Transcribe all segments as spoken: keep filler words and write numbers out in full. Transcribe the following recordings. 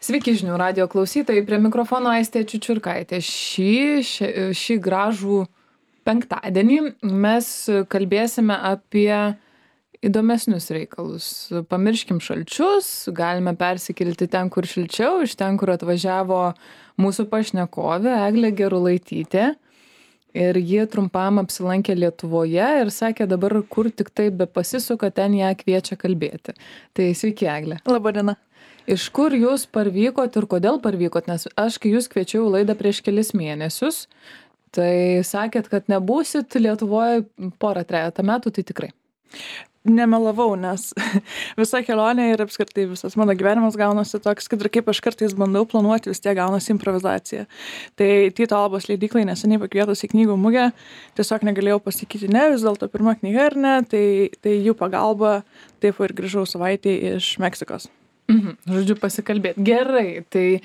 Sveiki žinių radijo klausytojai, prie mikrofono Aistė Čiučiurkaitė. Šį, šį, šį gražų penktadienį mes kalbėsime apie įdomesnius reikalus. Pamirškim šalčius, galime persikilti ten, kur šilčiau, iš ten, kur atvažiavo mūsų pašnekovė Eglė Gerulaitytė. Ir ji trumpam apsilankė Lietuvoje ir sakė, dabar kur tik tai be pasisuka, ten ją kviečia kalbėti. Tai sveiki, Eglė. Labadiena. Iš kur jūs parvykot ir kodėl parvykot? Nes aš, kai jūs kviečiau į laidą prieš kelis mėnesius, tai sakėt, kad nebūsit Lietuvoje porą trejata metų, tai tikrai. Nemelavau, nes visa kelionė ir apskritai visas mano gyvenimas gaunasi toks, kad ir kaip aš kartais bandau planuoti, vis tiek gaunasi improvizacija. Tai Tyto Albos leidyklai neseniai pakvietus į knygų mugę, tiesiog negalėjau pasakyti ne, vis dėlto pirma knyga ar ne, tai, tai jų pagalba taip ir grįžau savaitę iš Meksikos. Mhm, žodžiu, pasikalbėti. Gerai, tai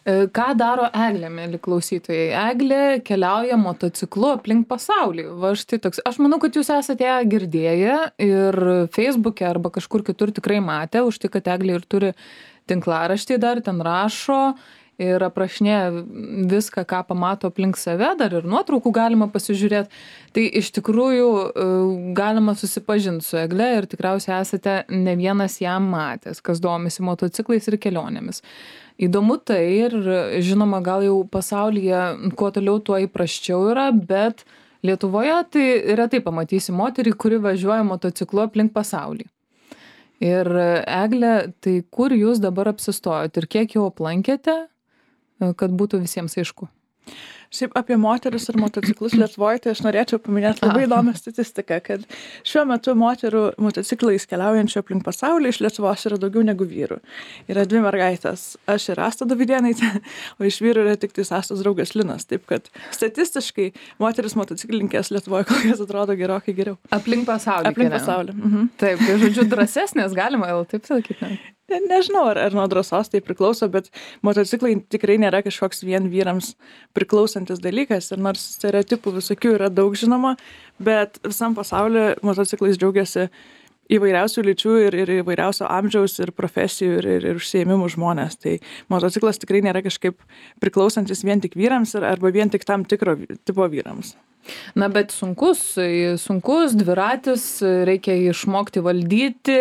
ką daro Eglė, mėly klausytojai? Eglė keliauja motociklu aplink pasaulį. Va, štai toks. Aš manau, kad jūs esate ją girdėję ir Facebook'e arba kažkur kitur tikrai matę, už tai, kad Eglė ir turi tinklaraštį dar, ten rašo ir aprašinėja viską, ką pamato aplink save, dar ir nuotraukų galima pasižiūrėti. Tai iš tikrųjų galima susipažinti su Egle ir tikriausiai esate ne vienas ją matęs, kas domisi motociklais ir kelionėmis. Įdomu tai ir žinoma, gal jau pasaulyje kuo toliau tuo įprasčiau yra, bet Lietuvoje tai retai pamatysi moterį, kuri važiuoja motociklu aplink pasaulį. Ir Egle, tai kur jūs dabar apsistojot ir kiek jau aplankėte, kad būtų visiems aišku? Šiaip apie moteris ir motociklus Lietuvoje, tai aš norėčiau paminėti labai įdomią statistiką, kad šiuo metu moterų motociklais keliaujančių aplink pasaulį iš Lietuvos yra daugiau negu vyrų. Yra dvi mergaitės, aš ir Asta Davidėnaitė, o iš vyrų yra tik tai Astos draugas Linas. Taip kad statistiškai moteris motociklininkės Lietuvoje kol kas atrodo gerokai geriau. Aplink pasaulį. Aplink pasaulį. Mhm. Taip, tai žodžiu, drąsesnės galima, jau taip sakyti. Ne? Ne, nežinau, ar, ar nuo drąsos tai priklauso, bet motociklai tikrai nėra kažkoks vien vyrams priklausantis dalykas. Ir nors stereotipų visokių yra daug žinoma, bet visam pasaulyje motociklais džiaugiasi įvairiausių lyčių ir, ir įvairiausio amžiaus ir profesijų ir, ir, ir užsiėmimų žmonės. Tai motociklas tikrai nėra kažkaip priklausantis vien tik vyrams ir, arba vien tik tam tikro tipo vyrams. Na, bet sunkus, sunkus dviratis, reikia išmokti valdyti,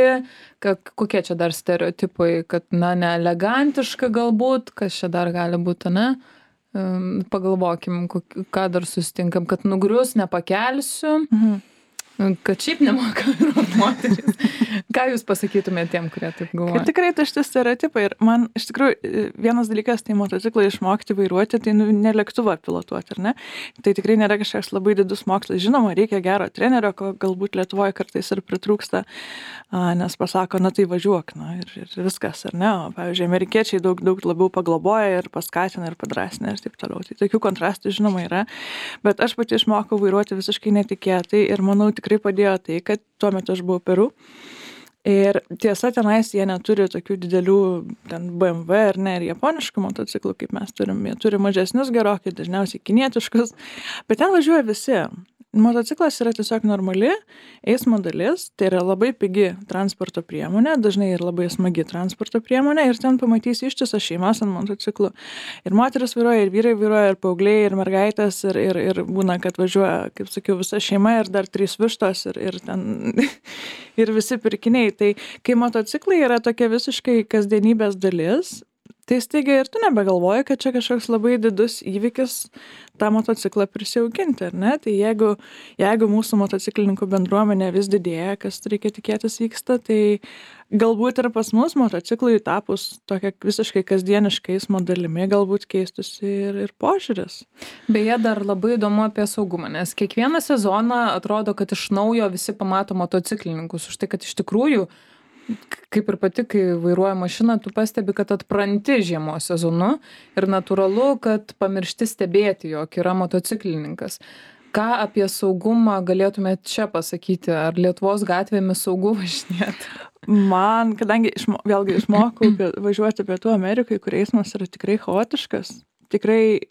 kokie čia dar stereotipai, kad, na, neelegantiška galbūt, kas čia dar gali būti, ne? Pagalvokim, ką dar susitinkam, kad nugrius nepakelsiu, mhm. kad šiaip nemoka vairuoti moteris. Ką jūs pasakytumėte tiem, kurie taip galvoja? Kad tikrai tai šitie stereotipai ir man iš tikrųjų vienas dalykas tai motociklą išmokti vairuoti, tai nu, ne lėktuvą pilotuoti, ar ne? Tai tikrai nėra kažkoks labai didus mokslas. Žinoma, reikia gero trenerio, ko galbūt Lietuvoje kartais ir pritrūksta, nes pasako, na tai važiuok, na ir, ir viskas, ar ne? O, pavyzdžiui, amerikiečiai daug, daug labiau pagloboja ir paskatina ir padrasina ir taip toliau. Tai tokių kontrastų žinoma yra, bet aš pati išmokau vairuoti visiškai netikėtai ir manau tikrai padėjo tai, kad tuo metu aš buvau Peru. Ir tiesa, tenais jie neturi tokių didelių ten B M W ar ne, ir japoniškų motociklų, kaip mes turim. Jie turi mažesnius gerokai, dažniausiai kinietiškus, bet ten važiuoja visi. Motociklas yra tiesiog normali eismo dalis, tai yra labai pigi transporto priemonė, dažnai ir labai smagi transporto priemonė ir ten pamatysi ištisas šeimas ant motociklų. Ir moteris vairuoja, ir vyrai vairuoja, ir paaugliai, ir mergaitės, ir, ir, ir būna, kad važiuoja, kaip sakiau, visa šeima ir dar trys vištos ir, ir ten ir visi pirkiniai. Tai kai motociklai yra tokia visiškai kasdienybės dalis, tai staiga ir tu nebegalvoji, kad čia kažkoks labai didus įvykis tą motociklą prisiauginti, ar ne? Tai jeigu, jeigu mūsų motociklininkų bendruomenė vis didėja, kas reikia tikėtis vyksta, tai galbūt ir pas mus motociklui tapus tokia visiškai kasdieniškai eismo dalimi, galbūt keistųsi ir, ir požiūris. Beje, dar labai įdomu apie saugumą, nes kiekvieną sezoną atrodo, kad iš naujo visi pamato motociklininkus, už tai, kad iš tikrųjų kaip ir pati, kai vairuoja mašiną, tu pastebi, kad atpranti žiemos sezonu ir natūralu, kad pamiršti stebėti, jog yra motociklininkas. Ką apie saugumą galėtumėte čia pasakyti? Ar Lietuvos gatvėmis saugu važinėti? Man, kadangi išmo, vėlgi išmokau važiuoti Pietų Amerikai, kur eismas yra tikrai chaotiškas, tikrai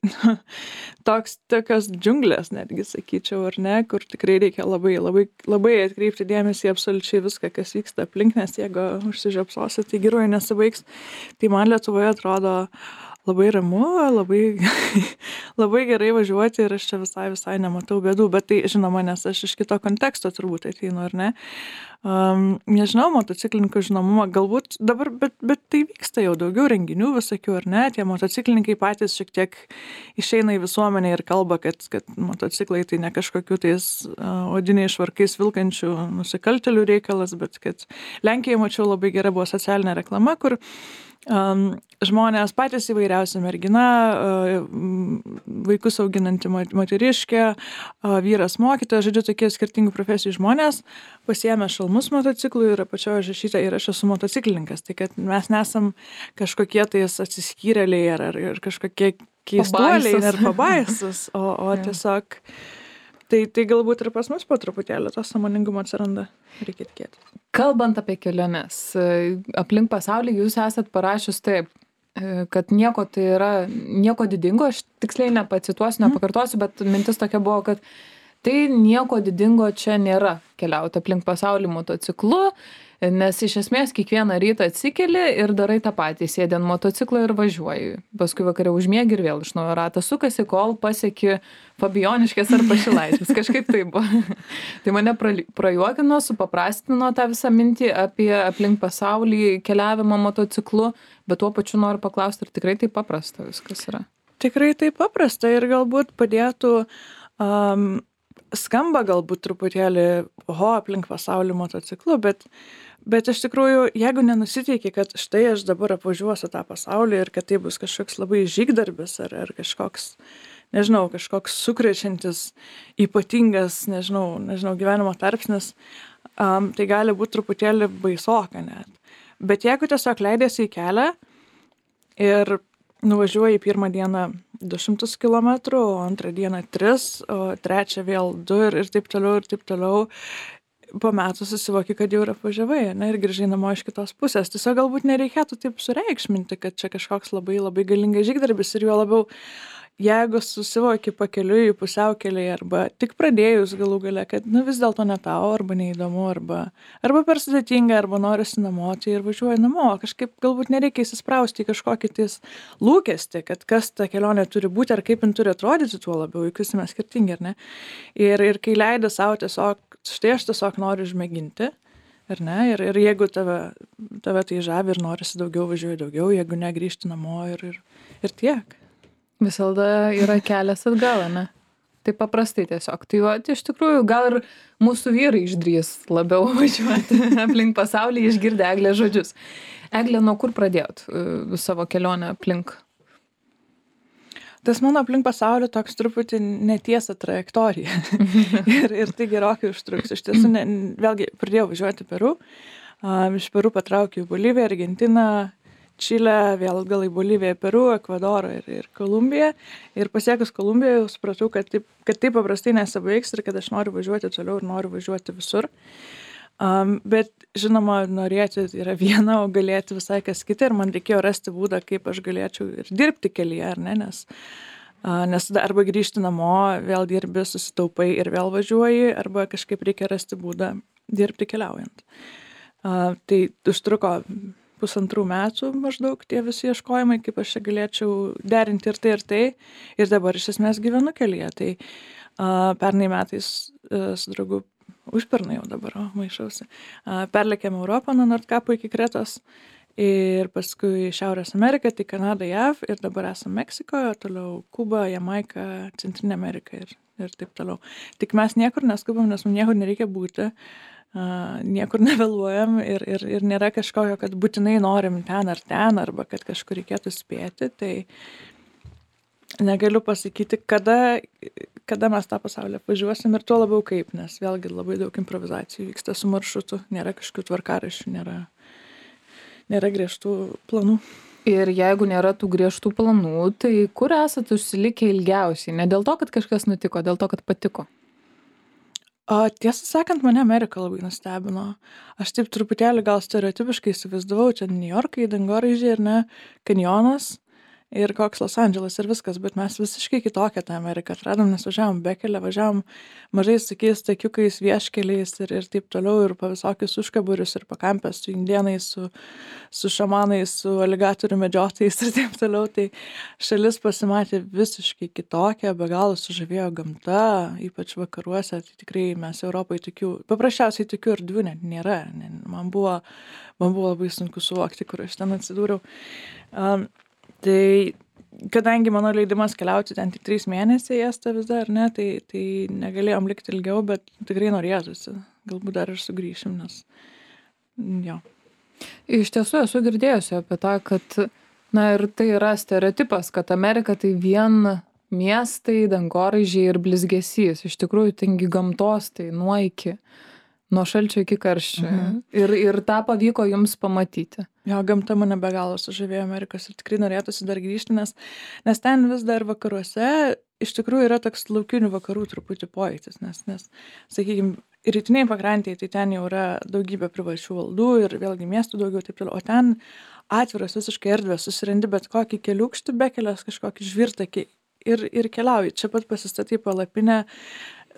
toks, tokios džiunglės netgi sakyčiau, ar ne, kur tikrai reikia labai, labai, labai atkreipti dėmesį absoliučiai viską, kas vyksta aplink, nes jeigu užsižiopsosi, tai geruoju nesibaigs. Tai man Lietuvoje atrodo labai ramu, labai, labai gerai važiuoti ir aš čia visai, visai nematau bėdų, bet tai žinoma, nes aš iš kito konteksto turbūt ateinu, ar ne. Um, nežinau, motociklininkų žinomumą, galbūt dabar, bet, bet tai vyksta jau daugiau renginių visokių, ar ne, tie motociklininkai patys šiek tiek išeina į visuomenę ir kalba, kad, kad motociklai tai ne kažkokių tais uh, odiniais švarkais vilkančių nusikaltelių reikalas, bet kad Lenkijoje mačiau labai gera buvo socialinė reklama, kur Um, žmonės patys įvairiausi mergina, uh, vaikus auginanti moteriškė, uh, vyras mokytojas, žodžiu, tokie skirtingų profesijų žmonės pasiėmė šalmus motociklų ir apačioje užrašyta ir aš esu motociklininkas. Tai kad mes nesam kažkokie tais atsiskyrėliai ar, ar, ar kažkokie keistuoliai ar pabaisus, o, o tiesiog Tai, tai galbūt ir pas mus po truputėlį to sąmoningumo atsiranda, reikia tikėti. Kalbant apie keliones, aplink pasaulį jūs esat parašius taip, kad nieko tai yra, nieko didingo, aš tiksliai nepacituosiu, nepakartosiu, bet mintis tokia buvo, kad tai nieko didingo čia nėra keliauti aplink pasaulį motociklu, nes iš esmės kiekvieną rytą atsikeli ir darai tą patį, sėdi ant motociklo ir važiuoji. Paskui vakare užmiegi ir vėl iš naujo ratas sukasi, kol pasieki Fabijoniškės ar Pašilaitis. Kažkaip tai buvo. Tai mane prajuokino, supaprastino tą visą mintį apie aplink pasaulį keliavimą motociklu, bet tuo pačiu noriu paklausti, ar tikrai taip paprasta viskas yra? Tikrai taip paprasta ir galbūt padėtų... Um, skamba galbūt truputėlį oho aplink pasaulį motociklu, bet, bet iš tikrųjų, jeigu nenusiteiki, kad štai aš dabar apvažiuosiu tą pasaulį ir kad tai bus kažkoks labai žygdarbis ar, ar kažkoks, nežinau, kažkoks sukrečiantis, ypatingas, nežinau, nežinau, gyvenimo tarpsnis, um, tai gali būti truputėlį baisoka net. Bet jeigu tiesiog leidėsi į kelią ir nuvažiuoji pirmą dieną du šimtus kilometrų, o antrą dieną tris, o trečią vėl du ir, ir taip toliau, ir taip toliau. Po metų susivoki, kad jau ir apvažiavai, ne, ir grįžai namo iš kitos pusės. Tiesiog galbūt nereikėtų taip sureikšminti, kad čia kažkoks labai, labai galingas žygdarbis ir juo labiau, jeigu susivoki pakeliui į pusiaukelį arba tik pradėjus galų gale, kad nu, vis dėlto ne tau, arba neįdomu, arba, arba per sudėtinga, arba norisi namo, tai ir važiuoji namo. Kažkaip galbūt nereikia įsisprausti į kažkokį tais lūkestį, kad kas ta kelionė turi būti ar kaip jin turi atrodyti tuo labiau, juk visi mes skirtingi, ar ne? Ir, ir kai leidi savo tiesiog, štai aš tiesiog noriu išmėginti, ar ne? Ir, ir jeigu tave, tave tai žavi ir norisi daugiau, važiuoji daugiau, jeigu ne, grįžti namo ir, ir, ir tiek. Visada yra kelias atgal, ne? Taip paprastai tiesiog. Tai va, iš tikrųjų, gal ir mūsų vyrai išdrys labiau važiuoti aplink pasaulį, išgirdę Eglės žodžius. Eglė, nuo kur pradėjot uh, savo kelionę aplink? Tas mano aplink pasaulį toks truputį netiesa trajektorija. ir, ir tai gerokai užtruks. Iš tiesų, ne, vėlgi, pradėjau važiuoti Peru. Um, iš Peru patraukiau į Boliviją, Argentiną, Čilę, vėl gal į Boliviją, Peru, Ekvadorą ir, ir Kolumbiją. Ir pasiekus Kolumbiją jau supratau, kad taip, kad taip paprastai nesibaigs ir kad aš noriu važiuoti toliau ir noriu važiuoti visur. Um, bet, žinoma, norėti yra viena, o galėti visai kas kita. Ir man reikėjo rasti būdą, kaip aš galėčiau ir dirbti kelyje, ar ne? Nes, uh, nes arba grįžti namo, vėl dirbi, susitaupai ir vėl važiuoji, arba kažkaip reikia rasti būdą dirbti keliaujant. Uh, tai užtruko pusantrų metų maždaug tie visi ieškojimai, kaip aš čia galėčiau derinti ir tai ir tai. Ir dabar iš esmės gyvenu kelyje. Tai uh, pernai metais uh, su draugu, užpernai jau dabar, o, maišausi, uh, perlėkėm Europą nuo Nordkapo iki Kretos ir paskui Šiaurės Ameriką, tai Kanada, J A V ir dabar esam Meksikoje, toliau Kuba, Jamaika, Centrinė Amerika ir, ir taip toliau. Tik mes niekur neskubam, nes mums niekur nereikia būti. Uh, niekur nevėluojam ir, ir, ir nėra kažkokio, kad būtinai norim ten ar ten, arba kad kažkur reikėtų spėti, tai negaliu pasakyti, kada, kada mes tą pasaulį apvažiuosim ir tuo labiau kaip, nes vėlgi labai daug improvizacijų vyksta su maršrutu, nėra kažkokių tvarkaraščių, nėra, nėra griežtų planų. Ir jeigu nėra tų griežtų planų, tai kur esat užsilikę ilgiausiai? Ne dėl to, kad kažkas nutiko, dėl to, kad patiko? O tiesą sakant, mane Amerika labai nustebino. Aš taip truputėlį gal stereotipiškai įsivaizdavau, čia New Yorkai, dangoraižiai ir ne, kanjonas ir koks Los Andželas ir viskas, bet mes visiškai kitokią tą Ameriką atradom, nes važiavom bekelę, važiavom mažais tokiais takiukais, vieškeliais ir, ir taip toliau, ir pa visokius užkaburius, ir pakampės su indienais, su, su šamanais, su aligatorių medžiotojais ir taip toliau. Tai šalis pasimatė visiškai kitokia, be galo sužavėjo gamta, ypač vakaruose. Tai tikrai mes Europoje tokių, paprasčiausiai tokių erdvių net nėra. Man buvo, man buvo labai sunku suvokti, kur aš ten atsidūriau. Um, Tai kadangi mano leidimas keliauti ten tik trys mėnesiai esta viza, ar ne, tai, tai negalėjom likti ilgiau, bet tikrai norėtųsi. Galbūt dar ir sugrįšim, nes jo. Iš tiesų esu girdėjusi apie tą, kad, na ir tai yra stereotipas, kad Amerika tai vien miestai, dangoraižiai ir blizgesys. Iš tikrųjų, tengi gamtos, tai nuo iki. Nuo šalčio iki karščio. Mhm. Ir, ir tą pavyko jums pamatyti. Jo, gamta mane be galo sužavėjo Amerikos ir tikrai norėtųsi dar grįžti, nes, nes ten vis dar vakaruose iš tikrųjų yra toks laukinių vakarų truputį pojūtis, nes, nes sakykime, rytiniai pakrantėje, tai ten jau yra daugybė privačių valdų ir vėlgi miestų daugiau, taip toliau, o ten atviras visiškai erdvės, susirandi bet kokį keliukštį, bekelės kažkokį žvirtakį ir, ir keliauji. Čia pat pasistatai palapinę.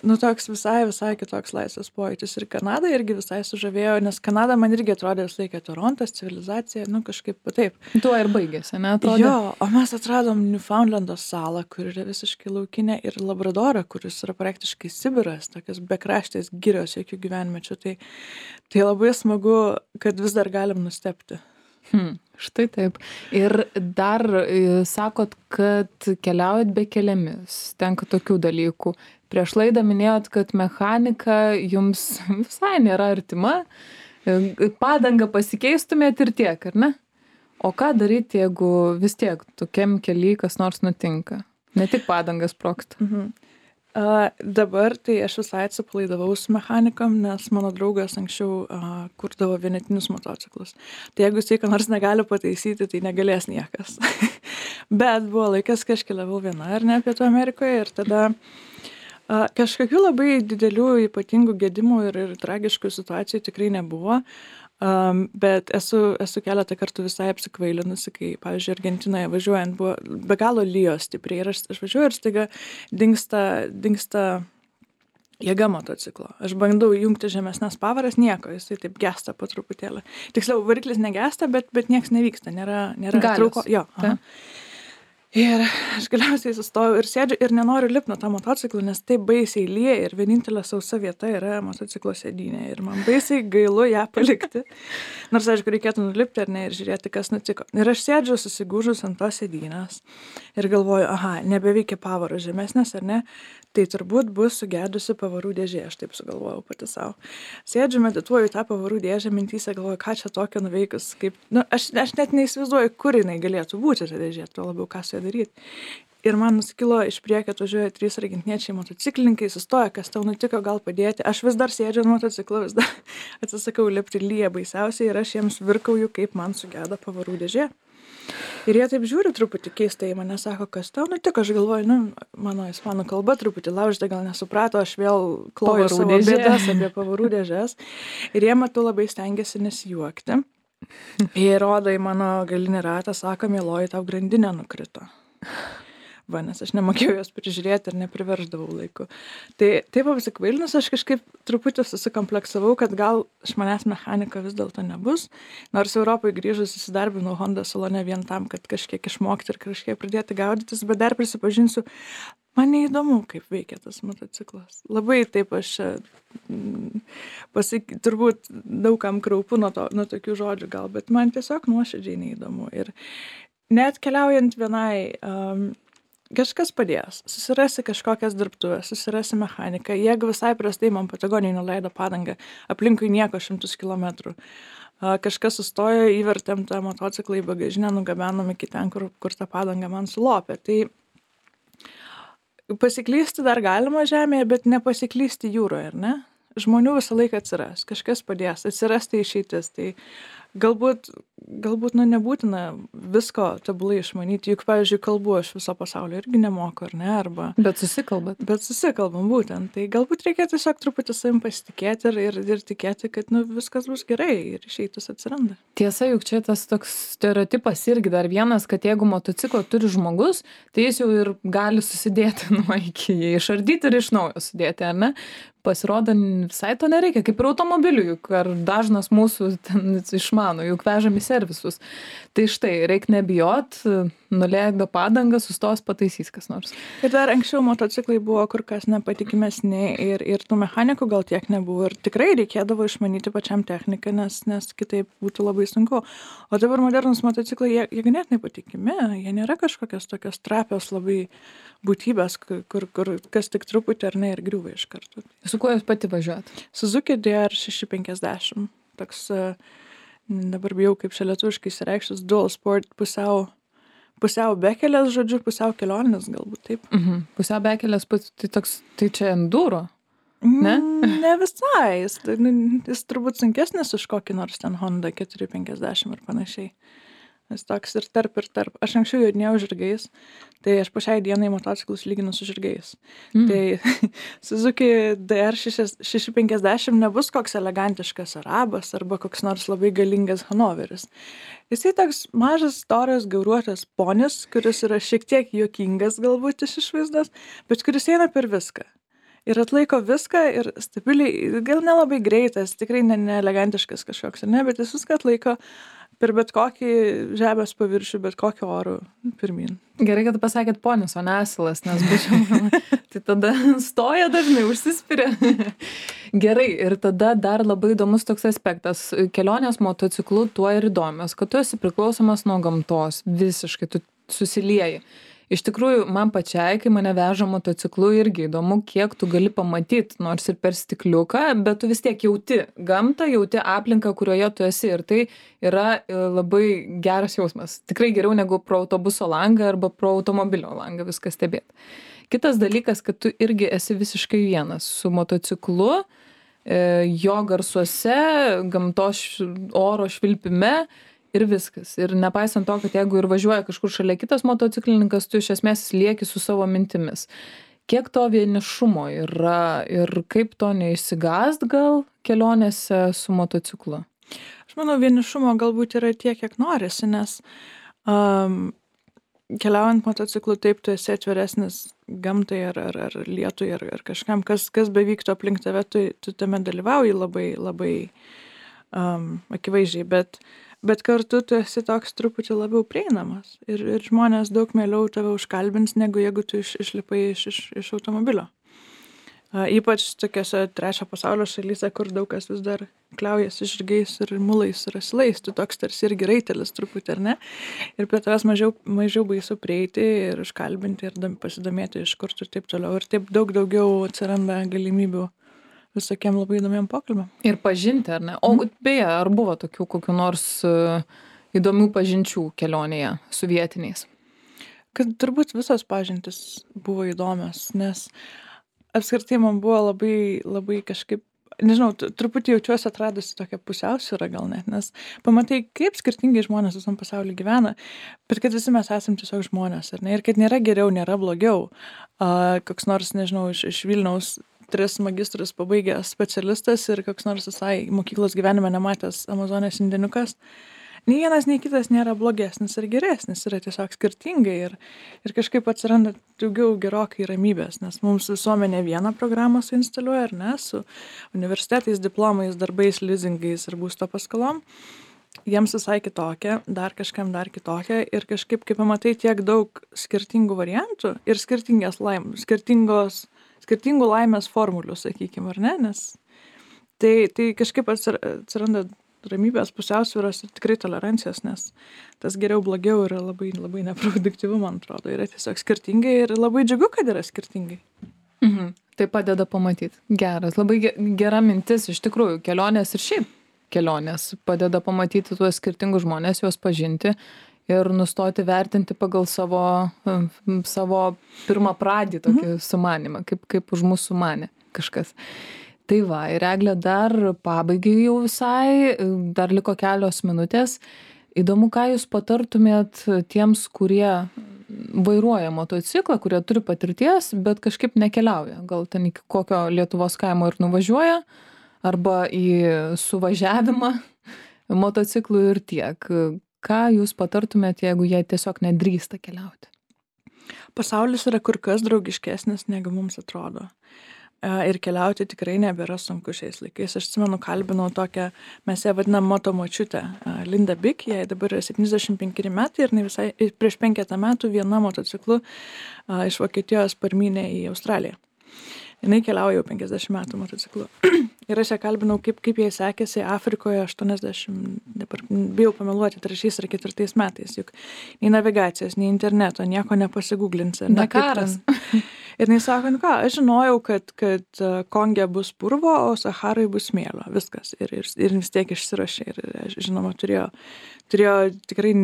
Nu, toks visai, visai kitoks laisvės pojūtis. Ir Kanada irgi visai sužavėjo, nes Kanada man irgi atrodė visą laiką Torontas, civilizacija, nu, kažkaip taip. Tuo ir baigėsi, ne, atrodė? Jo, o mes atradom Newfoundlando salą, kur yra visiškai laukinė, ir Labradorą, kuris yra praktiškai Sibiras, tokios bekraštės girios, jokių gyvenmečių. Tai, tai labai smagu, kad vis dar galim nustebti. Hmm, štai taip. Ir dar e, sakot, kad keliaujat be kelėmis, tenka tokių dalykų. Prieš laidą minėjot, kad mechanika jums visai nėra artima, padangą pasikeistumėt ir tiek, ar ne? O ką daryti, jeigu vis tiek tokiam kely kas nors nutinka? Ne tik padangas sprogsta. Mhm. Uh, dabar tai aš visai atsipalaidavau su mechanikom, nes mano draugas anksčiau uh, kurdavo vienetinius motociklus. Tai jeigu jisai ką nors negali pataisyti, tai negalės niekas. Bet buvo laikas, kai aš keliavau viena, ar ne, Pietų Amerikoje, ir tada uh, kažkokių labai didelių ypatingų gedimų ir, ir tragiškų situacijų tikrai nebuvo. Um, bet esu, esu keletą kartų visai apsikvailinusi, kai, pavyzdžiui, Argentinoje važiuojant buvo be galo lijo stipriai ir aš, aš važiuoju ir staiga dingsta, dingsta jėga motociklo. Aš bandau jungti žemesnes pavaras, nieko, jisai taip gesta po truputėlį. Tiksliau, variklis negesta, bet, bet nieks nevyksta, nėra, nėra trauko. Jo, aha. Ir aš galiausiai sustojau ir sėdžiu ir nenoriu lipti nuo tą motociklą, nes taip baisiai lyja ir vienintelė sausa vieta yra motociklo sėdynė ir man baisiai gailu ją palikti. Nors, aišku, reikėtų nulipti ar ne ir žiūrėti, kas nutiko. Ir aš sėdžiu susigūžus ant tos sėdynės ir galvoju, aha, nebeveikia pavaro žemesnės ar ne, tai turbūt bus sugedusi pavarų dėžė, aš taip sugalvojau pati savo. Sėdžiu, medituoju tą pavarų dėžę, mintyse galvoju, ką čia tokio nuveikus, kaip, nu, aš, aš net neįsivaizduoju, kur jinai galėtų būti ta dėžė, tuo labiau ką su ja daryti. Ir man nusikilo iš priekio, atvažiuoja trys argentiniečiai motociklininkai, sustoja, kas tau nutiko, gal padėti. Aš vis dar sėdžiu ant motociklo, vis dar atsisakau lipti, lyja baisiausiai ir aš jiems virkauju, kaip man sugeda pavarų dėžė. Ir jie taip žiūri truputį keistai, mane sako, kas tau nutiko, aš galvoju, nu, mano ispanų kalba truputį laužta, gal nesuprato, aš vėl kloju savo bėdas apie pavarų dėžės. Ir jie, matau, labai stengiasi nesijuokti. Ir rodo į mano galinį ratą, sako, mieloji, tau grandinė nukrito. Va, nes aš nemokėjau jos prižiūrėti ir nepriverždavau laiku. Tai taip apsikvailinus, aš kažkaip truputį susikompleksavau, kad gal iš manęs mechanika vis dėlto nebus. Nors Europai grįžus įsidarbinau Honda salone vien tam, kad kažkiek išmokti ir kažkiek pradėti gaudytis, bet dar prisipažinsiu, man neįdomu, kaip veikia tas motociklas. Labai taip aš mm, pasak, turbūt daugam kraupu nuo, to, nuo tokių žodžių gal, bet man tiesiog nuoširdžiai neįdomu. Ir net keliaujant vienai... Um, Kažkas padės, susirasi kažkokias dirbtuvės, susirasi mechaniką. Jeigu visai prastai man Patagonijai nuleido padangą, aplinkui nieko šimtus kilometrų. Kažkas sustojo, įvertėm tą motociklą į bagažinę, nugabenom iki ten, kur, kur tą padangą man sulopė. Tai pasiklysti dar galima žemėje, bet nepasiklysti jūroje, ar ne? Žmonių visą laiką atsiras, kažkas padės, atsirasti išeitis. Tai galbūt, galbūt, nu, nebūtina visko tobulai išmanyti, juk, pavyzdžiui, kalbu aš viso pasaulio irgi nemoku, ar ne, arba... Bet susikalbat. Bet susikalbam būtent, tai galbūt reikia tiesiog truputį savim pasitikėti ir, ir, ir tikėti, kad, nu, viskas bus gerai ir išeitis atsiranda. Tiesa, juk čia tas toks stereotipas irgi dar vienas, kad jeigu motociklą turi žmogus, tai jis jau ir gali susidėti nuo iki, jį išardyti ir iš naujo sudėti, ar ne? Pasirodo, visai to nereikia, kaip ir automobilių, juk ar dažnas mūsų ten išmano, juk vežam į servisus. Tai štai, reikia nebijot, nuleido padangą, sustos, pataisys kas nors. Ir dar anksčiau motociklai buvo kur kas nepatikimesni ir, ir tų mechanikų gal tiek nebuvo ir tikrai reikėdavo išmanyti pačiam techniką, nes, nes kitaip būtų labai sunku. O dabar modernus motociklai, jie, jie ganėtinai patikimi, jie nėra kažkokios tokios trapios labai būtybės, kur, kur kas tik truputį ar ne ir griūva iš karto. Su kuo jūs pati važiuojat? Suzuki D R šeši penkiasdešimt. Toks, dabar bijau kaip čia lietuviškai išsireikštis, dual sport, pusiau, pusiau bekelės, žodžiu, pusiau kelionės galbūt taip. Mhm. Pusiau bekelės, tai toks, tai čia enduro, ne? Ne visai, jis, jis turbūt sunkesnis už kokį nors ten Honda keturi penkiasdešimt ar panašiai. Jis toks ir tarp ir tarp. Aš anksčiau jodinėjau žirgais, tai aš po šiai dienai motociklus lyginu su žirgais. Mm. Tai Suzuki D R šeši penkiasdešimt nebus koks elegantiškas arabas arba koks nors labai galingas Hanoveris. Jisai toks mažas, storas, gauruotas ponis, kuris yra šiek tiek juokingas galbūt iš išvaizdos, bet kuris eina per viską. Ir atlaiko viską ir stabiliai, gal nelabai greitas, tikrai ne, ne elegantiškas kažkoks, ne, bet jis viską atlaiko per bet kokį žemės paviršių, bet kokį orų pirmin. Gerai, kad pasakėt ponis, o ne asilas, nes būčiau, tai tada stoja dažnai, užsispiria. Gerai, ir tada dar labai įdomus toks aspektas. Kelionės motociklu tuo ir įdomios, kad tu esi priklausomas nuo gamtos, visiškai tu susilieji. Iš tikrųjų, man pačiai, kai mane veža motociklu, irgi įdomu, kiek tu gali pamatyti, nors ir per stikliuką, bet tu vis tiek jauti gamtą, jauti aplinką, kurioje tu esi. Ir tai yra labai geras jausmas. Tikrai geriau negu pro autobuso langą arba pro automobilio langą viską stebėti. Kitas dalykas, kad tu irgi esi visiškai vienas su motociklu, jo garsuose, gamtos oro švilpime, ir viskas. Ir nepaisant to, kad jeigu ir važiuoja kažkur šalia kitas motociklininkas, tu iš esmės lieki su savo mintimis. Kiek to vienišumo yra ir kaip to neišsigąst gal kelionėse su motociklu? Aš manau, vienišumo galbūt yra tiek, kiek norisi, nes um, keliaujant motociklu taip, tu esi atviresnis gamtai ar, ar, ar lietui ar, ar kažkam, kas, kas bevyktų aplink tave, tu, tu tame dalyvauji labai, labai um, akivaizdžiai, bet Bet kartu tu esi toks truputį labiau prieinamas ir, ir žmonės daug mieliau tave užkalbins, negu jeigu tu iš, išlipai iš, iš, iš automobilio. A, ypač tokiose trečio pasaulio šalyse, kur daug kas vis dar kliaujasi žirgais ir mulais ir asilais, tu toks tarsi irgi raitelis truputį, ar ne? Ir prie tavęs mažiau, mažiau baisu prieiti ir užkalbinti ir pasidomėti iš kur tu ir taip toliau. Ir taip daug daugiau atsiranda galimybių visokiem labai įdomiam pokalbiam. Ir pažinti, ar ne? O beje, ar buvo tokių kokių nors uh, įdomių pažinčių kelionėje su vietiniais? Kad turbūt visos pažintis buvo įdomios, nes apskritai man buvo labai, labai kažkaip, nežinau, truputį jaučiuosi atradusi tokią pusiausvyrą gal net, nes pamatai, kaip skirtingai žmonės visam pasaulyje gyvena, bet kad visi mes esam tiesiog žmonės, ar ne? Ir kad nėra geriau, nėra blogiau. Uh, koks nors, nežinau, iš, iš Vilniaus tris magistrus pabaigęs specialistas ir koks nors visai mokyklos gyvenime nematęs Amazonės indėniukas. Nei vienas, nei kitas nėra blogesnis ir geresnis, yra tiesiog skirtingai ir, ir kažkaip atsiranda daugiau gerokai ramybės, nes mums visuomenė vieną programą suinstaliuoja, ar ne, su universitetais, diplomais, darbais, lizingais ir būsto paskolom. Jiems visai kitokia, dar kažkam dar kitokia ir kažkaip, kaip pamatai, tiek daug skirtingų variantų ir skirtingas laim, skirtingos skirtingų laimės formulių, sakykime, ar ne, nes tai, tai kažkaip atsiranda ramybės, pusiausvyros ir tikrai tolerancijos, nes tas geriau blogiau yra labai, labai neproduktyvu, man atrodo, yra tiesiog skirtingai ir labai džiugu, kad yra skirtingai. Mhm. Tai padeda pamatyti. Geras, labai gera mintis, iš tikrųjų, kelionės ir šiaip kelionės padeda pamatyti tuos skirtingus žmonės, juos pažinti ir nustoti vertinti pagal savo, savo pirmą pradį tokį sumanimą, kaip, kaip už mūsų sumanė kažkas. Tai va, ir Eglė, dar pabaigai jau visai, dar liko kelios minutės. Įdomu, ką jūs patartumėt tiems, kurie vairuoja motociklą, kurie turi patirties, bet kažkaip nekeliauja. Gal ten iki kokio Lietuvos kaimo ir nuvažiuoja, arba į suvažiavimą motociklų ir tiek. Ką jūs patartumėt, jeigu jie tiesiog nedrįsta keliauti? Pasaulis yra kur kas draugiškesnis, negu mums atrodo. Ir keliauti tikrai nebėra sunku šiais laikais. Aš atsimenu, kalbinau tokią, mes ją vadinam moto močiutę, Linda Bik, jai dabar yra septyniasdešimt penkeri metai ir visai, prieš penketą metų viena motociklu iš Vokietijos parmynė į Australiją. Jinai keliauja jau penkiasdešimt metų motociklu. Ir aš ją kalbinau, kaip, kaip jai sekėsi Afrikoje aštuoniasdešimt, dabar bijau pameluoti, trečiais ar ketvirtais metais, juk nei navigacijos, nei interneto, nieko nepasigūglinsi. Dakaras. Ir jinai sako, nu ką, aš žinojau, kad, kad Konge bus purvo, o Saharai bus smėlio, viskas. Ir, ir, ir vis tiek išsirašė ir, žinoma, turėjo, turėjo tikrai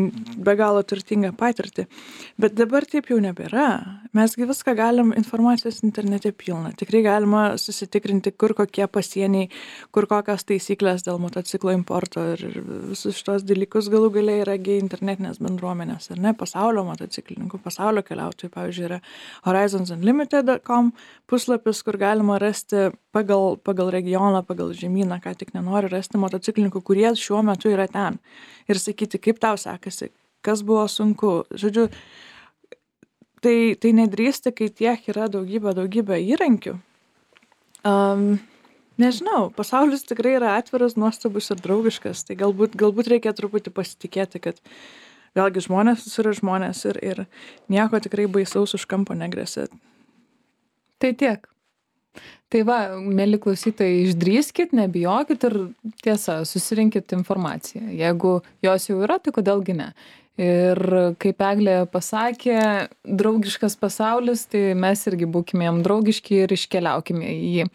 be galo turtingą patirtį. Bet dabar taip jau nebėra. Mesgi viską galim, informacijos internete pilna. Tikrai galima susitikrinti, kur kokie pasieniai, kur kokios taisyklės dėl motociklo importo ir visus šitos dalykus galų galiai yra internetinės bendruomenės, ar ne, pasaulio motociklininkų, pasaulio keliautojų, pavyzdžiui, yra horizons unlimited dot com puslapis, kur galima rasti pagal, pagal regioną, pagal žemyną, ką tik nenori rasti motociklininkų, kurie šiuo metu yra ten. Ir sakyti, kaip tau sekasi, kas buvo sunku. Žodžiu, tai, tai nedrįsti, kai tiek yra daugybė, daugybė įrankių. Um, nežinau, pasaulis tikrai yra atviras, nuostabus ir draugiškas. Tai galbūt, galbūt reikia truputį pasitikėti, kad vėlgi žmonės yra žmonės ir, ir nieko tikrai baisaus už kampo negresia. Tai tiek. Tai va, mėly klausytojai, išdrįskit, nebijokit ir tiesa, susirinkit informaciją. Jeigu jos jau yra, tai kodėlgi ne. Ir kaip Eglė pasakė, draugiškas pasaulis, tai mes irgi būkime jam draugiški ir iškeliaukime į jį.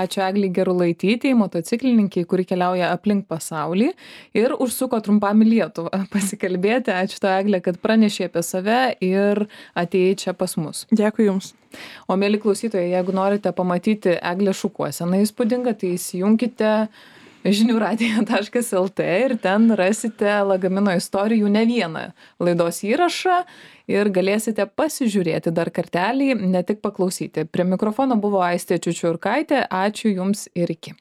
Ačiū Eglei Gerulaitytei, motociklininkiai, kuri keliauja aplink pasaulį ir užsuko trumpam į Lietuvą pasikalbėti. Ačiū to, Eglė, kad pranešė apie save ir atėjai čia pas mus. Dėkui Jums. O mėly klausytojai, jeigu norite pamatyti Eglę šukuoseną įspūdingą, tai įsijunkite žinių radija taškas lt ir ten rasite Lagamino istorijų ne vieną laidos įrašą ir galėsite pasižiūrėti dar kartelį, ne tik paklausyti. Prie mikrofono buvo Aistė Čiučiurkaitė. Ačiū Jums ir iki.